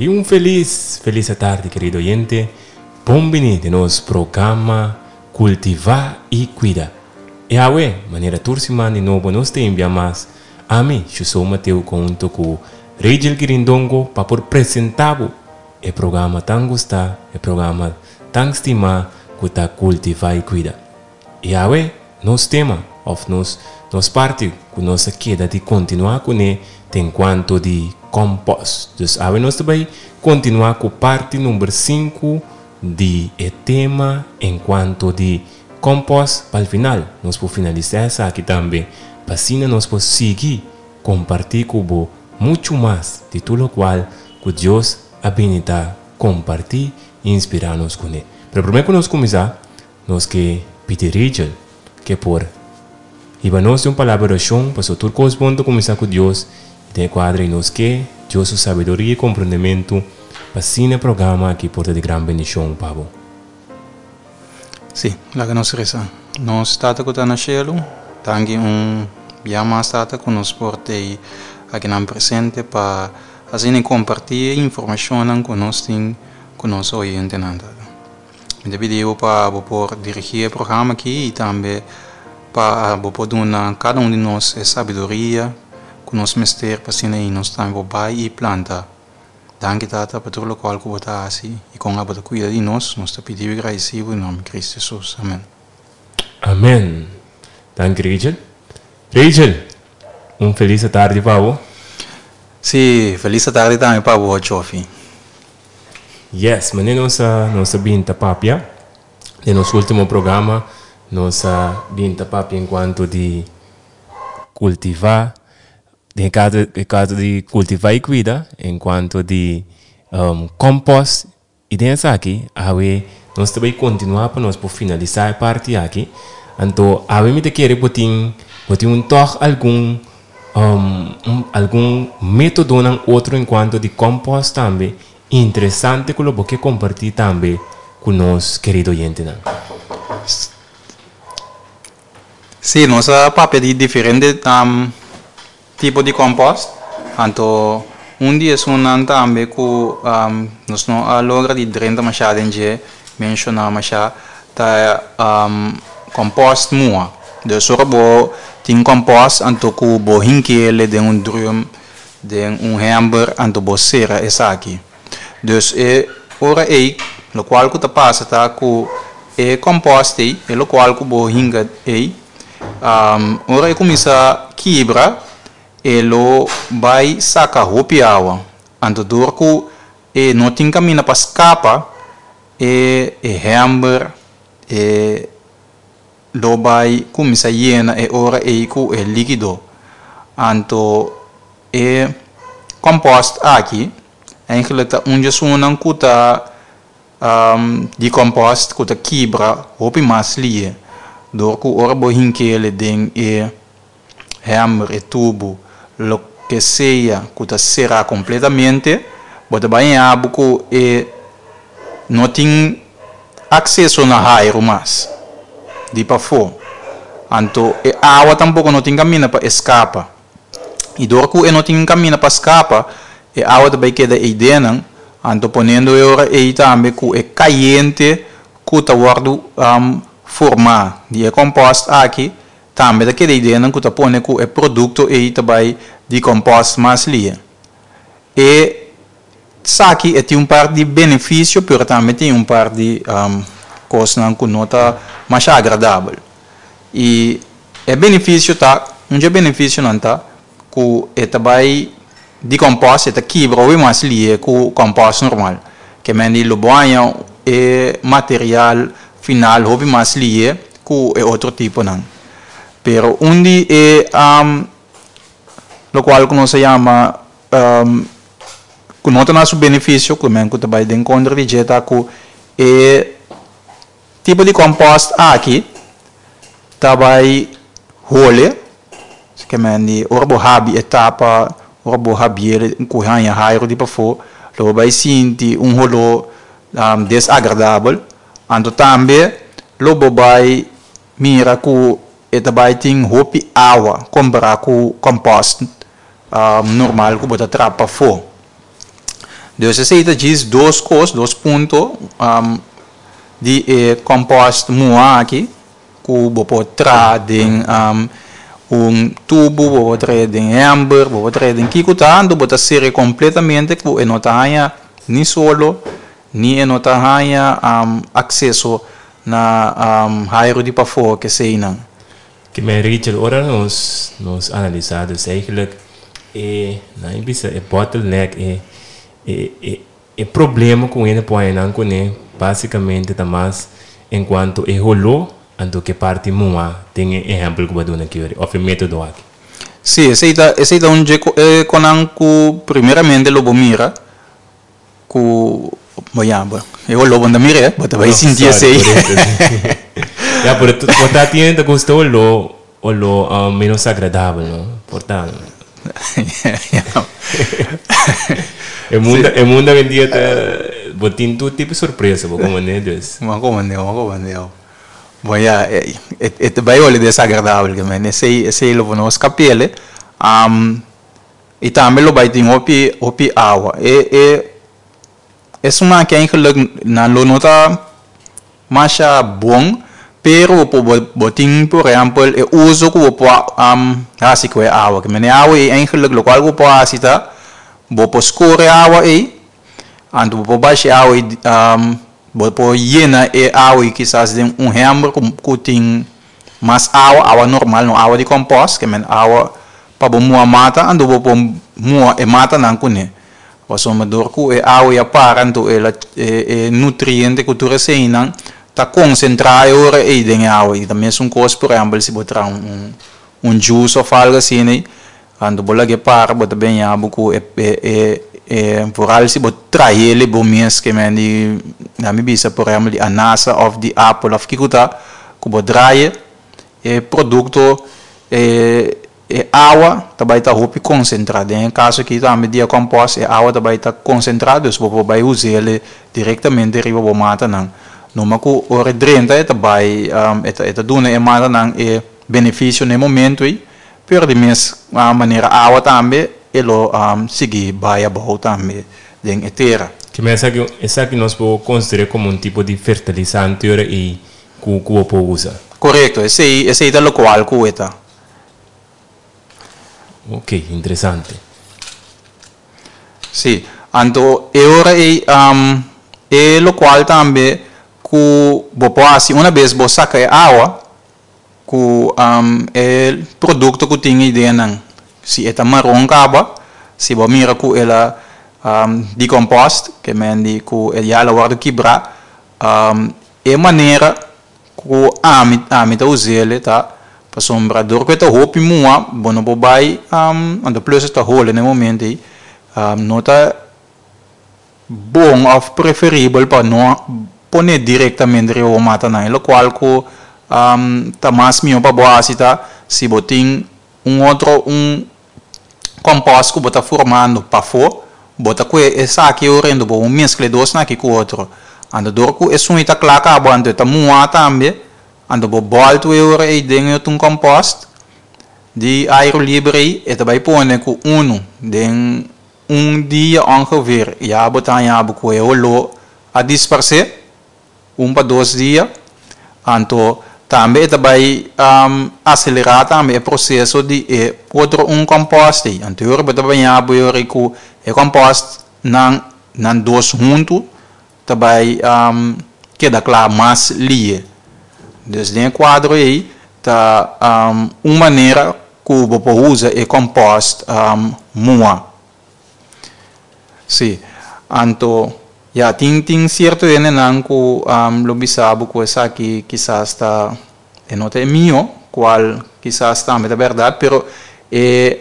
Y un feliz, feliz atardi querido oyente. Bon bini den nos programa Cultiva y Cuida. E awe, manera tur siman di nobo nos ta envia mas ami, Shusou Mateo conhunto cu Rachel Quirindongo pa por presenta bo e programa tan gusta, e programa tan stima cu ta Cultiva y Cuida. I awe nos tema of nos nos parti ku nos a keda di kontinuá kuné ta enkuanto di kòmpòs. Dus awe nos ta bai kontinuá ku parti number sinku di e tema enkuanto di kòmpòs pa al final nos por finalisá esaki tambe pa asina nos por sigui kompartí ku bo muchu mas di tur lokual ku Dios a bini ta kompartí i inspirá nos kuné. Pero promé ku nos kuminsá Nos ke pidi Rachel ke por hiba nos den un palabra orashon pasobra tur kos bon ta kuminsá ku Dios i den e kuadra ei nos ke Dios su sabiduria i komprendementu pa asina e programa aki por ta di gran bendishon pa bo. Sí, laga nos resa. Nos Tata ku ta na shelu, danki un bia mas Tata ku nos por t'ei akinan presente pa asina kompartí e informashonnan ku nos tin ku nos oyentenan Tata. Mi ta pidi bo pa bo por dirigí e programa aki i tambe pa bo por duna kada un di nos e sabiduria ku nos mester pa asina ei nos tambe por bai i planta. Danki Tata pa tur lokual ku bo ta hasi i kon abo ta kuida di nos. Nos ta pidi bo i gradisí bo den nòmber di Kristu Hesus. Amen. Amen. Danki Rachel. Rachel, un felis atardi pa bo. Sí, felis atardi tambe pa bo, Chofi. Yes, manera nos a nos a bin ta papia den nos ultimo programa nos a bin ta papia en cuanto di cultiva den e caso e caso di cultiva y cuida en cuanto di compost y den esaki awe nos ta bay continua pa nos por finalisa e parti aki anto awe mi ta kere bo tin bo tin un tog algun Algun métodonan otro en cuanto di compost tambe interesante cu lo bo ke comparti tambe cu nos kerido oyentenan. Sí, nos a papia di diferente tipo di compost, anto un di esunnan tambe cu nos no a logra di drenta masha den dje, menciona masha, ta compost muha. Dus ora bo tin compost anto cu bo hinkele den un drum, den un hember anto bo cera esaki. Dus e ora ey locual cu ta pasa ta cu e compost ey, e locual cu bo hinka ey, ora e cuminsa kibra e lo bay saca hopi awa. Anto door cu e no tin caminda pa scapa e hember, e lo bai kuminsá yena e ora ei ku e líkido. Anto e kòmpòst aki eigenlijk ta un djesunnan ku ta di kòmpòst ku ta kibra hopi mas lie dor ku ora bo hink'el den e hèmber, e tubu, loke sea ku ta será kompletamente, bo ta bai haña bo ku e no tin akseso na hairu mas di pafó. Anto e awa tampoko no tin kaminda pa e skapa. I dor ku e no tin kaminda pa skapa, e awa ta bai keda ei denan, anto ponendo e ora ei tambe ku e kayente ku ta wòrdu formá di e kòmpòst aki Tambe ta keda ideanan ku ta pone ku e produkto ei ta bai dekompost mas lia. E saki e tin un par di benefisio pero tambe tin un par di kosnan ku no ta masha agradabel. I e benefisio ta, un dje benefisionan ta ku e ta bai dekompost, e ta kibra hopi mas lia ku kompost normal. Ke men di lo bo haña e material final hopi mas lia ku e otro tiponan. Pero un di e lokual ku nos a yama ku no ta na su benefisio, ku men ku ta bai den kontra di dje ta ku e tipo di kompost aki ta bai hole, ke men di ora bo habi e tapa, ora bo habiel ku haña hairu di pafó lo bo bai sinti un holó desagradabel. Anto tambe lo bo bai mira ku e ta bai tin hopi awa kompará ku kòmpòst normal ku bo ta trapa pafó. Dus esei ta djis dos kos, dos punto di e compost muha aki ku bo por traha den un tubu, bo por traha den hember, bo por traha den kiko ta, anto bo ta sere kompletamente ku e no ta haña ni solo ni e no ta haña akseso na hairu di pafó keseinan. Ke men Rachel, ora nos nos analisa dus eigenlijk e nan e bisa e bottleneck e e e e problema ku hende por haña nan kuné basikamente ta mas enkuanto e holó anto ke parti muha den e ehèmpel ku bo a duna aki òf e metodo aki. Sí, esei ta esei ta un dje konan ku primeramente lo bo mira Ku bo ya bo e oló bo no ta mir'é, bo ta bai sinti esei. Ya, pero por ta tin ta gusta oló, oló menos agradabel, no? Por ta. E mundo, e mundo awendia ta, bo tin tur tipo sorpresa, bo komprendé? Dus. Bo a komprendé, bo a komprendé. Bo ya, e ta bai olé desagradabel, ke men esei, esei lo bo no skap'el. I tambe lo bai tin hopi hopi awa. E e esun aki eigenlijk nan lo no ta masha bon, pero bo por bo tin por ehempel e uso ku bo por hasi ku e awa. Ke mene awa ei eigenlijk lokual ku bo por hasi ta bo por skore awa ei, anto bo por basha e awa ei bo por yena e awa ei kisas den un hember ku tin Mas awa, awa normal, no awa di compost, ke men awa pa bo muha mata, anto bo por muha e matanan kuné. Pasobra dor ku e awa ya para anto el a e nutriente ku tur eseinan ta konsentrá e ora ei den e awa. I ta mesun kos por ehèmpel si bo traha un un juice òf algu asina ei, anto bo lag'é para bo ta beña bo ku e e e vooral si bo trah'el bo mes ke men di mi bisa por ehèmpel di anasa òf di apel òf kiko ta. Ku bo draai e produkto e e awa ta bai ta hopi konsentrá. Den e kaso aki tambe di e kòmpòst e awa ta bai ta konsentrá dus bo por bai us'el direktamente riba bo matanan. Numa ku ora e drenta e ta bai e ta e ta duna e matanan e benefisio na e momento ei pero di mes manera awa tambe e lo sigui bai abou tambe den e tera. Kimen esaki esaki nos por konsider'é komo un tipo di fertilisante ora ei ku ku bo por usa. Korekto, esei esei ta lokual ku e ta. Ok, interesante. Sí, anto e ora ei e lokual tambe ku bo por hasi una bes bo saka e awa ku e produkto ku tin ei den si e ta maron kaba, si bo mira ku el a dekompost, ke men di ku ya el a wòrdu kibrá, E manera ku ami ami ta us'el ta pasobra dor ku e ta hopi mua bo no por bai anto plus e ta hole na e momento ei no ta bon òf preferibel pa no pone direktamente riba bo matanan e lokual ku ta mas mihó pa bo hasi ta si bo tin un otro un Compost ku bo ta formando pafó, bo ta kue esaki orendo bo un meskla e dosnan aki ku otro. Anto dor ku esun ei ta kla kaba anto e ta muhá tambe, anto bo bòltu e ora ei den e otro compost di airu liber ei, e ta bai pone ku unu den un dia ongeveer ya bo ta haña bo ku e holó a disparsé. Un pa dos dia, anto tambe e ta bai aselerá tambe e proseso di e otro un kòmpòst ei. Anto e ora bo ta bañá bo e ora ei ku e kòmpòst nan nan dos huntu ta bai keda kla mas lie. Dus den e kuadro ei ta un manera ku bo por usa e kòmpòst mua. Sí, anto ya tin tin cierto hendenan cu lo bisa bo cu esaki kisas ta e no ta e mio, cual kisas tambe ta berdad, pero e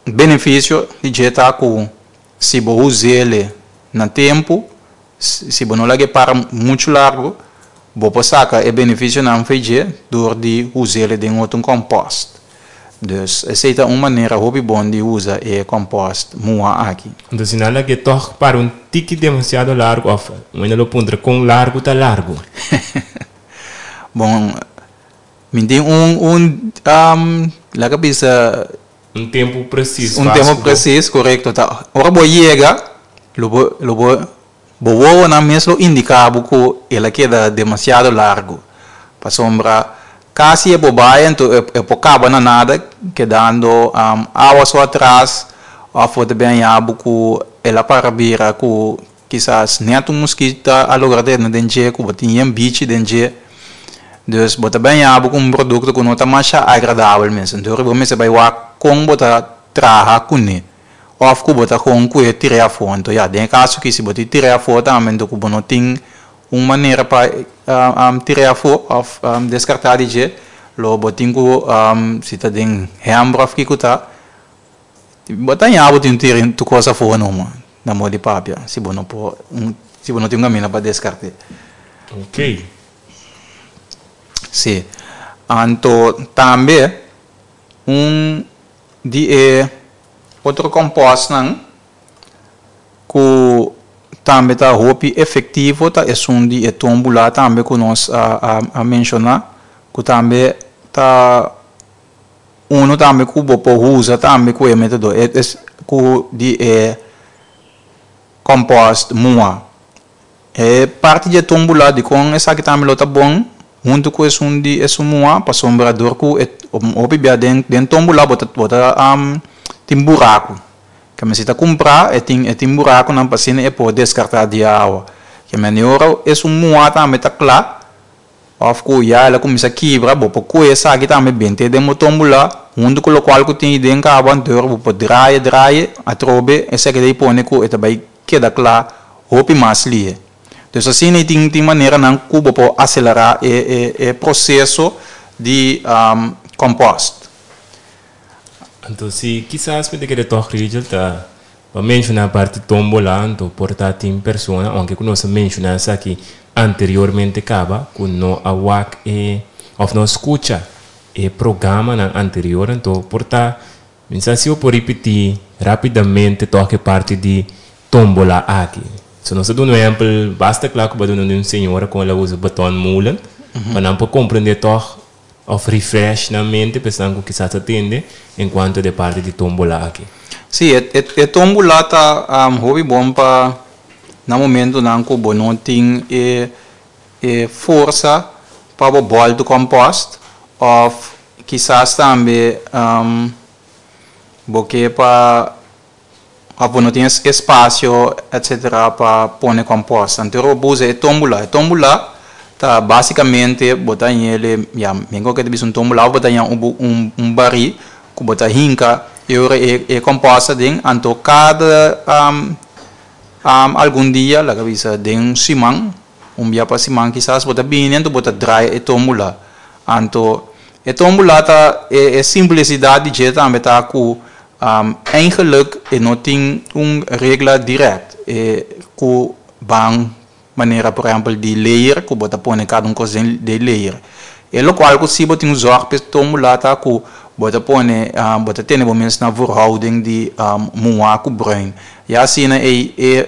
beneficio di dje ta cu si bo us'ele na tempo, si bo no laga e para mucho largo, bo por saca e beneficionan fei dje door di us'ele den otro compost. Dus esei ta un manera hopi bon di usa e compost muha aki. Anto si nan lag'é tòg para un tiki demasiado largu òf un hende lo puntra kon largu ta largu? Bon, mi tin un un laga bisa. Un tempu presis Un tempu presis, korekto. Ta ora bo yega. Lo bo lo bo bo wowonan mes lo indiká bo ku el a keda demasiado largu. Pasobra kasi e por bai anto e por kaba na nada kedando awa so atras òf bo ta bin haña bo ku el a para bira ku kisas nèt un muskita a logra drenta den dje ku bo tin yen bichi den dje. Dus bo ta bin haña bo ku un produkto ku no ta masha agradabel mes. Anto bo mester bai wak kon bo ta traha kuné. Of ku bo ta kon ku e tir'é afó. Anto ya, den e kaso aki si bo tin tir'é afó tambe anto ku bo no tin un manera pa tir'é afó òf deskartá di dje, lo bo tin ku si ta den hèmber òf kiko ta, bo ta haña bo tin tira tur kos afó numa na moda di papia si bo no por si bo no tin un kaminda pa deskart'é. Oké. Sí. Anto tambe un di e otro kòmpòstnan ku tambe ta hopi efektivo ta esun di e tómbula tambe ku nos a menshoná, ku tambe ta unu tambe ku bo por usa tambe ku e método ku di e kòmpòst muha. E parti di e tómbula dikon esaki tambe lo ta bon huntu ku esun di esun muha pasobra dor ku e hopi bia den den tómbula bo ta bo ta tin buraku. Ke men si ta kumprá e tin e tin burakunan pa asina e por deskartá di awa. Ke men e ora esun muha tambe ta kla òf ku ya el a kuminsá kibra bo por kohe esaki tambe bent'é den bo tómbula huntu ku lokual ku tin den kaba anto bo por draai draai atrobe esaki ta i pone ku e ta bai keda kla hopi mas lihe. Dus asina i tin tin maneranan ku bo por aselerá e e e proseso di kòmpòst. Anto si kisas mi ta kere tòg Rigel ta pa menshoná parti tómbola anto por ta tin persona ounke ku nos a menshoná esaki anteriormente kaba ku no a wak e òf no a skucha e programanan anterior anto por ta Mi sa si bo por ripití rápidamente tòg e parti di tómbola aki. So nos ta duna un ehèmpel basta kla ku bo a duna di un señora kon el a usa baton molen pa nan por komprendé tòg òf refresh nan mente pa esnan ku kisas ta tende en kuanto di e parti di tómbola aki. Sí, e tómbola ta hopi bon pa na momentunan ku bo no tin e e forsa pa bo bòltu kòmpòst òf Kisas tambe bo ke pa òf bo no tin espasio etsetera pa pone kòmpòst. Anto bo usa e tómbula. E tómbula ta básikamente bo ta hañ'el ya mi ke ta bisa un tómbula òf bo ta haña un barí ku bo ta hinka e ora e kòmpòst aden. Anto kada algun dia laga bisa den un siman Un bia pa siman kisas bo ta bini anto bo ta draai e tombula. Anto e tombula ta e simplicidad di dje tambe ta cu eigenlijk e no tin un regla direct e cu ban manera por ehempel di layer cu bo ta pone cada un cos den den layer. E locual cu si bo tin un zorg p'e tombula ta cu bo ta pone bo ta tene bo mes na verhouding di muha cu bruin. Ya asina ey e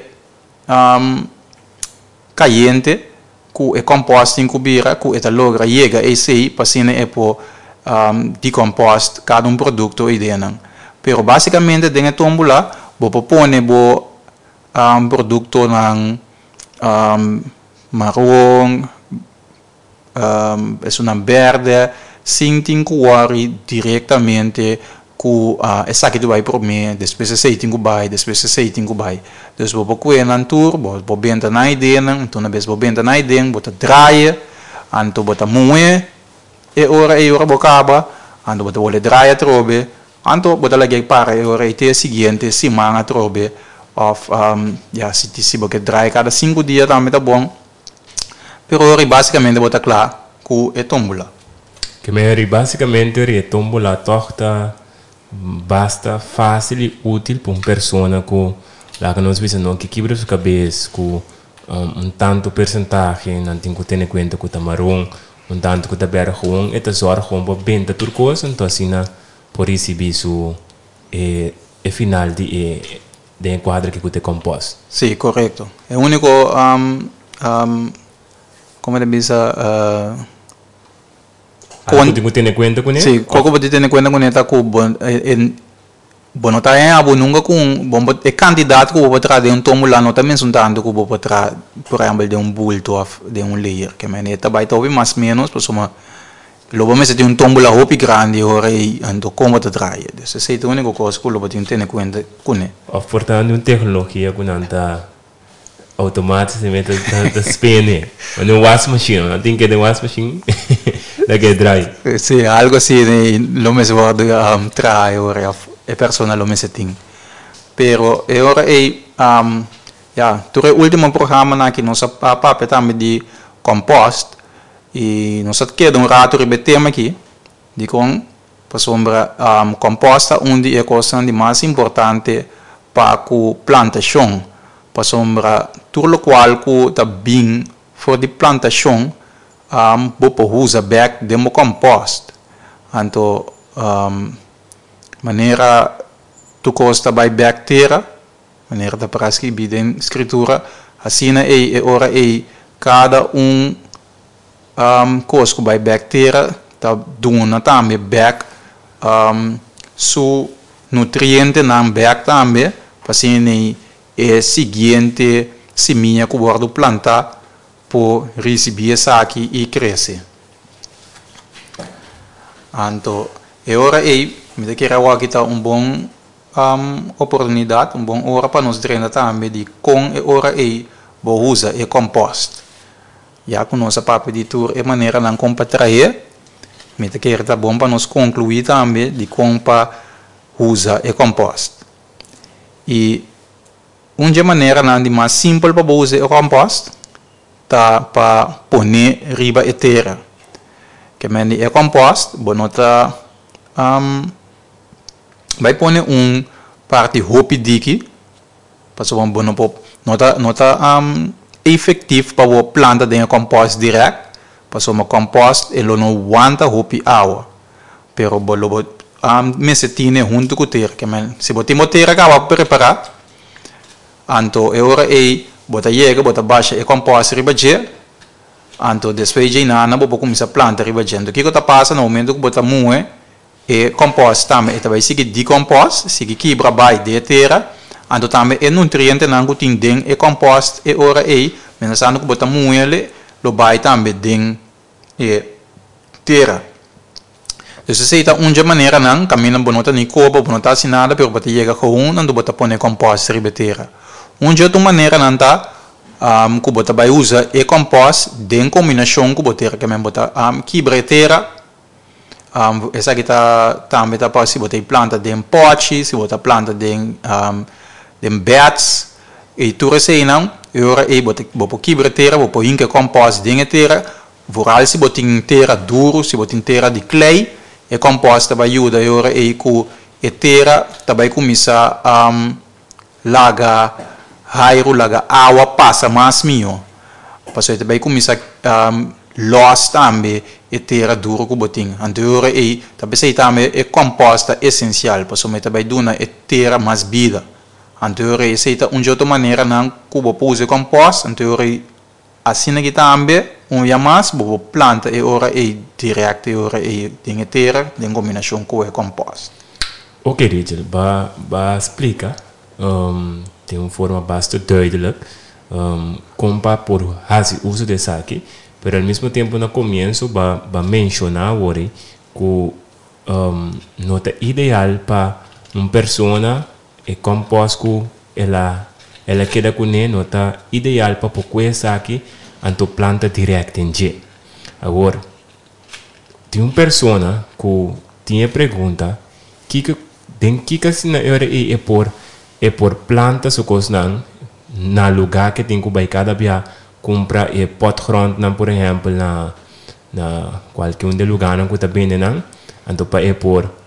Kayente ku e kòmpòst tin ku bira ku e ta logra yega esei pa asina e por dekompost kada un produkto ei den nan. Pero basikamente den e tómbula bo por pone bo produktonan maron, Esunnan berde sin tin ku wòri direktamente ku esaki ta bai promé, despues esei tin ku bai, despues esei tin ku bai. Dus bo por kue nan tur, bo por benta nan ideanan, anto una bes bo benta nan idea bo ta draai, anto bo ta muhé e ora ei ora bo kaba, anto bo ta wòrdu draai atrobe, anto bo ta lag'é para e ora ei te e siguiente siman atrobe òf ya si bo ke draai kada sinku dia tambe ta bon. Pero ori básikamente bo ta kla ku e tómbola. Ke men ori básikamente ori e tómbola tòg ta basta fásil i útil pa un persona ku laga nos bisa no ke kibra su kabes ku un tantu persentahe nan tin ku tene kuenta ku ta maron, un tantu ku ta bèrdè gewoon e ta zòrg gewoon pa benta tur kos anto asina por risibí su e final di e Den e kuadro aki ku ta e kòmpòst. Sí, korekto. E úniko, komo ta bisa, Algo ku tin ku tene kuenta kuné? Sí, koko bo tin tene kuenta kuné ta ku bo Bo no ta haña bo nunka ku un bo e kantidat ku bo por traha den un tómbola no ta mesun tantu ku bo por traha por ehèmpel den un bulto òf den un layer. Ke manera ta bai ta hopi mas ménos pasobra lo bo mester tin un tómbola hopi grandi ora ei anto kon bo ta traha. Dus esei ta e úniko kos ku lo bo tin tene kuenta kuné. Òf por ta un teknologia ku nan ta Automaticamente ta ta spene. Mane un wasmachine, nan tin ke den wasmachine la ke draai. Sí, algo así lo mester wordo traha e ora of e persona lo mester tin. Pero e ora ey ya tur e ultimo programanan aki nos a papia tambe di compost y nos a keda un rato riba e tema aki dikon pasobra compost ta un di e cosnan di mas importante pa cu plantacion Pasobra tur lokual ku ta bin for di plantashon bo por usa bèk den bo kòmpòst. Anto manera tur kos ta bai bèk tera, manera ta para skibí den Skritura, asina ei e ora ei kada un kos ku bai bèk tera ta duna tambe bèk su nutrientenan bèk tambe pa asina ei e siguiente simia ku wòrdu plantá por risibí esaki i krese. Anto e ora ei mi ta kere awor aki ta un bon oportunidat, un bon ora pa nos drenta tambe di kon e ora ei bo usa e kòmpòst. Ya ku nos a papia di tur e maneranan kon pa trahe, mi ta kere ta bon pa nos konkluí tambe di kon pa usa e kòmpòst. I un dje maneranan di mas simpel pa bo usa e kòmpòst ta pa pone riba e tera. Ke men di e kòmpòst bo no ta bai pone un parti hopi diki pasobra bo no por no ta no ta efectief pa bo planta den e kòmpòst dirèkt pasobra kòmpòst e lo no wanta hopi awa. Pero bo lo bo mester tine huntu ku tera. Ke men si bo tin bo tera kaba prepará, anto e ora ei bo ta yega bo ta basha e kòmpòst riba dje, anto despues dje inana bo por kuminsá planta riba dje. Anto kiko ta pasa na momento ku bo ta muhe e kòmpòst tambe e ta bai sigui dikòmpòst, sigui kibra bai den e tera, anto tambe e nutrientenan ku tin den e kòmpòst e ora ei, mientras ku bo ta muhel lo bai tambe den e tera. Dus esei ta un dje maneranan kaminda bo no ta ni koba, bo no ta hasi nada pero bo ta yega gewoon anto bo ta pone kòmpòst riba e tera. Un dje otro maneranan ta ku bo ta bai usa e kòmpòst den kombinashon ku bo tera ke men bo ta kibra e tera, esaki ta tambe ta pa si bo ta planta den pòchi, si bo ta planta den den bèds i tur eseinan e ora ei bo ta bo por kibra e tera bo por hinka e kòmpòst den e tera Vooral si bo tin tera duru, si bo tin tera di klei, e kòmpòst ta bai yuda e ora ei ku e tera ta bai kuminsá laga hairu, laga awa pasa mas mihó. Pasobra e ta bai kuminsá lòs tambe e tera duru ku bo tin. Anto e ora ei ta p'esei tambe e kòmpòst ta esensial, pasobra e ta bai duna e tera mas bida. Anto e ora ei esei ta un dje otro maneranan ku bo por usa e kòmpòst, anto e ora ei Asina ki tambe, un bia mas, bo por planta e ora ei direct e ora ei den e tera den kombinashon ku e kompost. Oké Rachel, ba ba splika den un forma basta duidelijk kon pa por hasi uso di esaki, pero al mismo tempo na komienso ba ba menshoná awor ei ku no ta ideal pa un persona E kòmpòst ku el a el a keda kuné no ta ideal pa por kue esaki, anto planta dirèkt den dje. Awor, tin un persona ku tin e pregunta, kiko den kiko asina e ora ei e por e por planta su kosnan na lugá ke tin ku bai kada bia kumpra e potgrondnan por ehèmpel na na kualke un di e lugánan ku ta bende nan, anto pa e por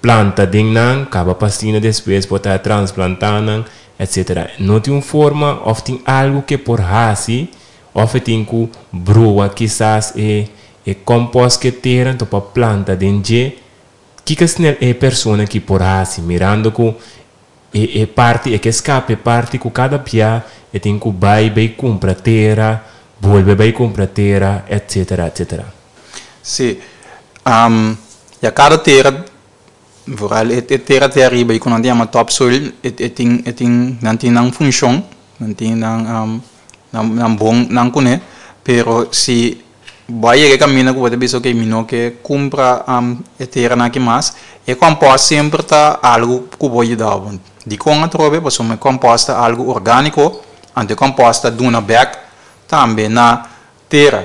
Planta den nan, kaba pasina despues por ta transplantá nan, etc. No tin un forma òf tin algu ke por hasi òf e tin ku brua kisas e e kòmpòst ke tera anto pa planta den dje. Kiko snel e persona ki por hasi mirando ku e e parti e ke skapa e parti ku kada bia e tin ku bai bay kumpra tera, bolbe bai kumpra tera, etc. Etc. Sí. Ya kada tera Vooral e tera te ariba i ku nan ta yama topsoil e tin e tin nan tin nan funshon nan tin nan nan bon nan kuné pero si bo a yega e kaminda ku bo ta bisa ok mi no ke kumpra e teranan aki mas e kòmpòst semper ta algu ku por yuda bo. Dikon atrobe? Pasobra e kòmpòst ta algu orgániko anto e kòmpòst ta duna bèk tambe na tera.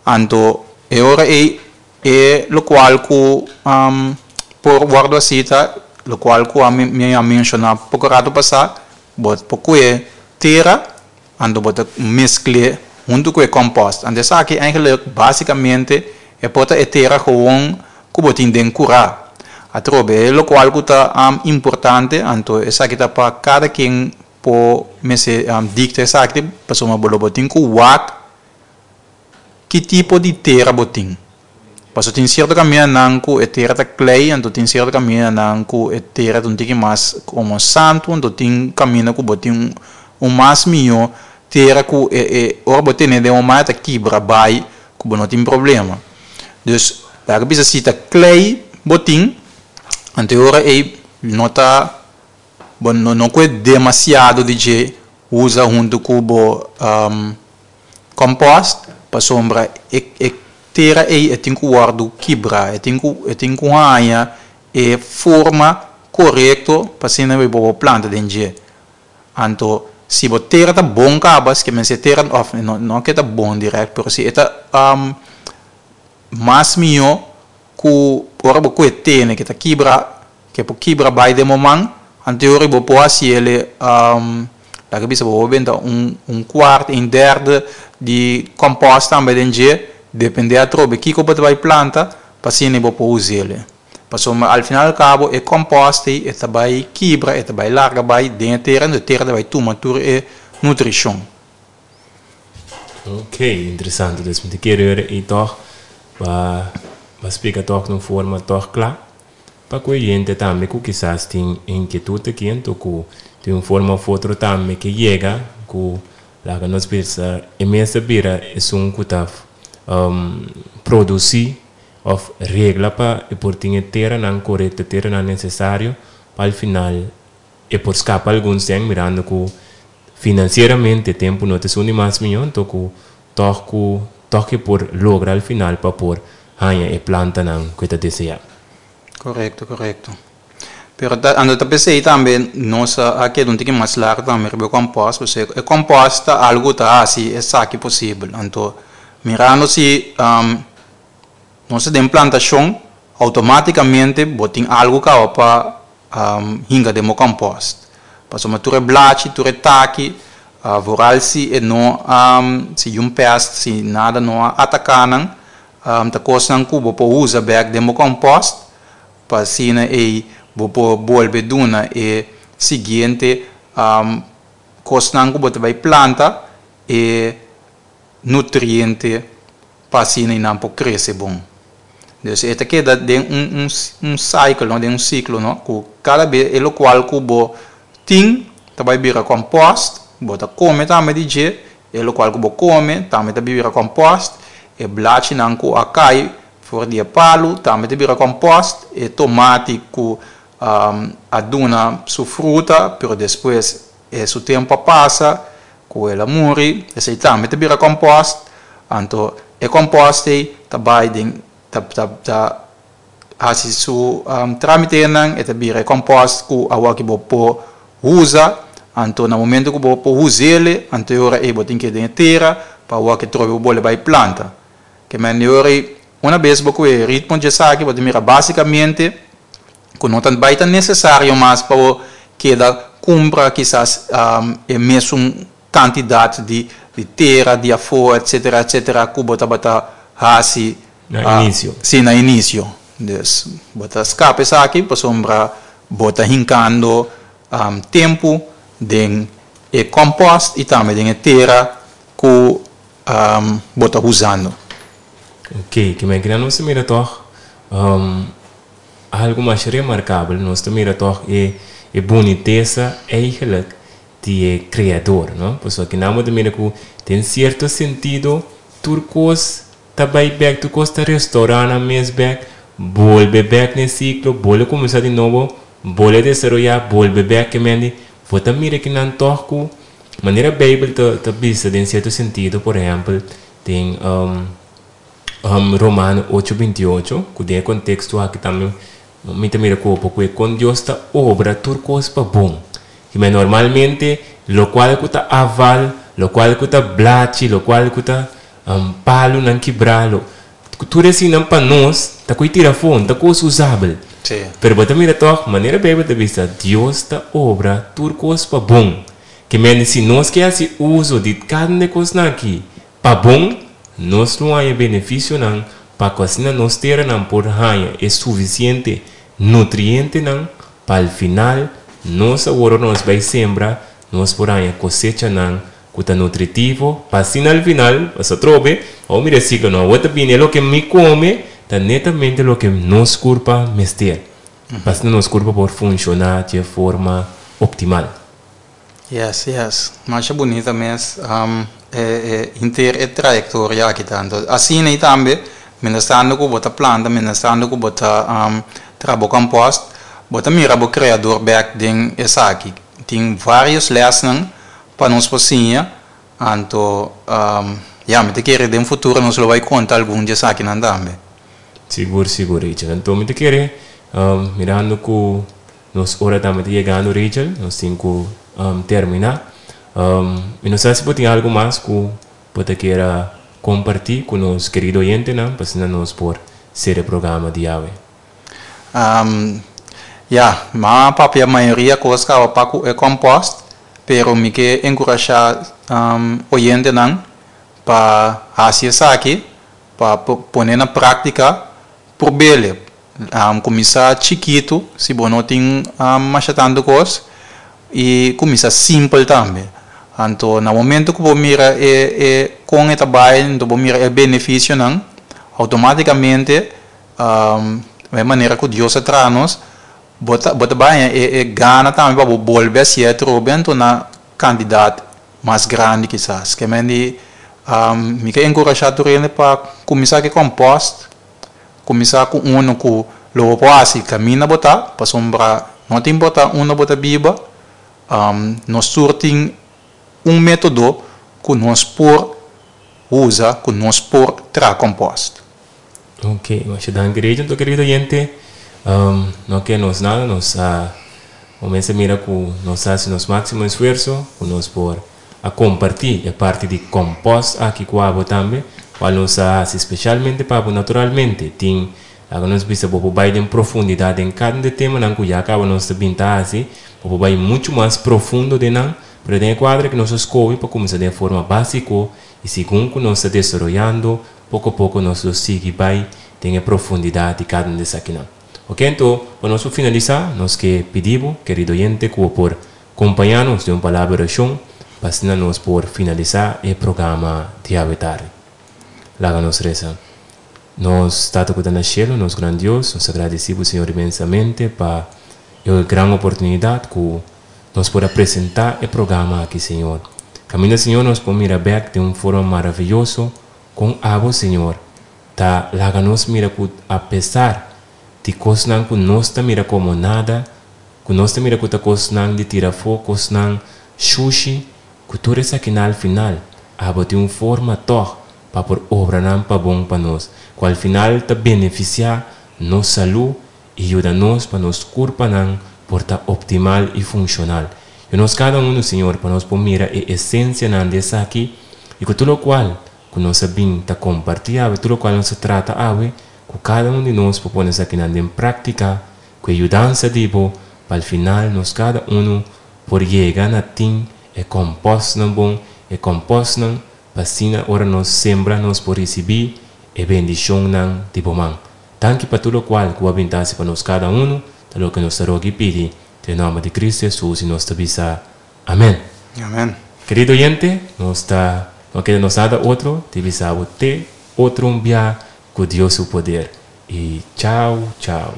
Anto e ora ei e lokual ku por wòrdu hasi ta lokual ku mi a menshoná poko rato pasá, bo por kue tera anto bo ta meskl'é huntu ku e kòmpòst. Anto esaki eigenlik básikamente e por ta e tera gewon ku bo tin den kurá. Atrobe e lokual ku ta importante anto esaki ta pa kada ken por mester dikta esaki pasobra bo lo bo tin ku wak Ki tipo di tera bo tin? Paso tin sierto kamindanan ku e tera ta klei, anto tin sierto kamindanan ku e tera ta un tiki mas komo santu, anto tin kaminda ku bo tin un mas mihó tera ku e e ora bo tene den un man e ta kibra bai ku bo no tin problema. Dus laga bisa si ta klei bo tin, anto e ora ei no ta bo no no kue demasiado di dje usa huntu ku bo Compost, pasobra e e tera ei e tin ku wòrdu kibrá, e tin ku e tin ku haña e forma korekto pa asina bo por planta den dje. Anto si bo tera ta bon kaba, si ke men si e tera òf no no ke ta bon dirèkt pero si e ta mas mihó ku ora bo kue tene ke ta kibra Ke por kibra bai den bo man, anto ora bo por hasi el, laga bisa bo por benta un un kuart, un derde di kompost tambe den dje, depende atrobe kiko bo ta bai planta, pa asina bo por usa el. Pasobra al final al kabo e kompost ei e ta bai kibra, e ta bai larga bai den e tera, anto e tera ta bai tuma tur e nutrishon. Ok, interesante. Dus mi ta kere ora ei tòg pa pa splika tòg na un forma tòg kla. Pa ku e hende tambe ku kisas tin inkietut aki anto ku di un forma of otro tambe ke yega ku laga nos bisa e mes a bira esun ku ta produsi of regla pa e por tin e teranan korekto, e teranan nesesario pa al final e por skapa algun sèn mirando ku finansieramente tempu no ta esun di mas mihó anto ku tòg ku tòg e por logra al final pa por haña e plantanan ku e ta deseá. Korekto, korekto. Pero ta ando ta p'esei tambe nos a keda un tiki mas largu tambe riba e kòmpòst, pasobra e kòmpòst ta algu ku ta hasi esaki posibel. Anto mirando si nos ta den plantashon outomátikamente bo tin algu kaba pa hinka den bo kòmpòst. Pasobra tur e blachi, tur e taki, vooral si e no si yun pèst, si nada no a ataká nan, ta kosnan ku bo por usa bèk den bo kòmpòst pa asina ei bo por bolbe duna e siguiente kosnan ku bo ta bai planta e nutriente pa asina i nan por krese bon. Dus e ta keda den un un cycle no, den un siklo no, ku kada bes e lokual ku bo tin ta bai bira kòmpòst, bo ta kome tambe di dje, e lokual ku bo kome tambe ta bira kòmpòst, e blachinan ku a kai for di e palu tambe ta bira kòmpòst, e tomati ku a duna su fruta pero despues e su tempu a pasa Ku el a muri, esei tambe ta bira kòmpòst. Anto e kòmpòst ei ta bai den ta ta ta hasi su trámitenan, e ta bira e kòmpòst ku awor ki bo por usa. Anto na momento ku bo por us'el, anto e ora ei bo tin ke den e tera pa awor ki trobe bo bole bai planta. Ke men e ora ei una bes bo ku e ritmo dje esaki bo ta mira básikamente ku no ta bai ta nesesario mas pa bo keda kumpra kisas e mesun kantidat di tera di afó etsetera etsetera ku bo tabata hasi Na inisio. Si, na inisio. Dus bo ta skapa esaki pasobra bo ta hinkando tempu den e kòmpòst i tambe den e tera ku bo ta usando. Oké, ke men kina nos ta mira tòg Algu mas remarkabel, nos ta mira tòg e e bunitesa eigenlijk di e Kreador, no? Pasobra kinan bo ta mira ku den sierto sentido tur kos ta bai bèk, tur kos ta restourá nan mes bèk. Bolbe bèk na e siklo, bolbe kuminsá di nobo, bolbe desaroyá, bolbe bèk ke mende. Bo ta mira kinan tòg ku manera Beibel ta ta bisa den sierto sentido, por ehèmpel den Romano ocho 28, ku den e konteksto aki tambe mi ta mira ku ku e kon Dios ta obra tur kos pa bon. Kibè normalmente lokual ku ta aval, lokual ku ta blachi, lokual ku ta palunan kibrá, lo Tur eseinan pa nos ta koe tira afó, no ta kos usabel. Sí. Pero bo ta mira tòg, manera Beibel ta bisa, Dios ta obra tur kos pa bon. Ke mende si nos ke hasi uso di kada un di e kosnan aki pa bon, nos lo haña benefisionan pa ku asina nos teranan por haña e sufisiente nutrientenan pa al final nos awor ora nos bai sembra nos por haña kosechanan ku ta nutritivo pa asina al final, pasobra atrobe, awor mi resiklo no, awor ta bini e loke mi kome ta netamente loke nos kurpa mester, pa asina nos kurpa por funshoná dje forma optimal. Yes, yes. Masha bunita mes e e henter e trayektoria aki ta. Anto asina i tambe mientrastando ku bo ta planta, mientrastando ku bo ta traha bo kòmpòst, bo ta mira bo kreador bèk den esaki. Tin vários lèsnan Pa nos por siña, anto ya, mi ta kere den futuro nos lo bai konta algun di esakinan tambe. Sigur, sigur, Rachel. Anto mi ta kere, mirando ku nos ora tambe ta yegando, Rachel, nos tin ku terminá. Mi no sa si bo tin algu mas ku bo ta kier a kompartí ku nos kerido oyentenan pa asina nos por sera e programa di awe. Ya, mi a papia mayoria kos kaba pa ku e kòmpòst, pero mi ke enkurashá oyentenan pa hasi esaki, pa pone na práktika, prob'el. Kuminsá chikitu si bo no tin masha tantu kos i kuminsá simpel tambe. Anto na momento ku bo mira e e kon e ta bai, anto bo mira e benefisionan, outomátikamente E manera ku Dios a traha nos, bo ta bo ta baña e e gana tambe pa bo bolbe hasié atrobe anto na kantidat mas grandi kisas. Ke men di mi ke enkurashá tur hende pa kuminsá ku e kòmpòst, kuminsá ku unu ku lo bo por hasi kaminda bo ta, pasobra no ta importá unda bo ta biba, nos tur tin un método ku nos por usa, ku nos por traha kòmpòst. Ok, masha danki Rachel. Anto kerido oyente, no ke nos nada, nos a comensa mira ku nos a hasi nos máximo esfuerso ku nos por a kompartí e parti di compost aki ku abo tambe, kual nos a hasi spesialmente pa abo. Naturalmente tin laga nos bisa bo por bai den profundidat den kada un di e temanan ku ya kaba nos ta bin ta hasi, bo por bai muchu mas profundo den nan, pero den e kuadro aki nos a skohe pa kuminsá den e forma básiko i segun ku nos ta desaroyando Poko poko nos lo sigui bai den e profundidat di kada un di esakinan. Oke, anto, pa nos por finalisá, nos ke pidi bo, kerido oyente, ku bo por kompañá nos den un palabra di orashon pa asina nos por finalisá e programa di awe tardi. Laga nos resa. Nos Tata ku ta na shelu, nos gran Dios, nos ta gradisí bo, Señor, inmensamente pa e gran oportunidat ku nos por a presentá e programa aki, Señor. Kaminda, Señor, nos por mira bèk den un forma maraviyoso Kon abo, Señor, ta laga nos mira ku apesar di kosnan ku nos ta mira komo nada, ku nos ta mira ku ta kosnan di tira afó, kosnan shushi, ku tur esakinan al final abo tin un forma tòg pa por obra nan pa bon pa nos, ku al final ta benefisiá nos salú i yuda nos pa nos kurpanan por ta optimal i funshonal. Yu nos kada unu, Señor, pa nos por mira e esensianan di esaki i ku tur lokual ku nos a bin ta kompartí awe, tur lokual nos a trata awe, ku kada un di nos por pone esakinan den práktika ku e yudansa di Bo, pa al final nos kada unu por yega na tin e kòmpòstnan bon, e kòmpòstnan pa asina ora nos sembra nos por risibí e bendishonnan di Bo man. Danki pa tur lokual ku bo a bin ta hasi pa nos kada unu, ta loke nos ta roga i pidi den nòmber di Kristu Hesus i nos ta bisa, Amèn. Amèn. Kerido oyente, nos ta no keda nos nada otro di bisa bo te otro un bia ku Dios su poder i chau chau.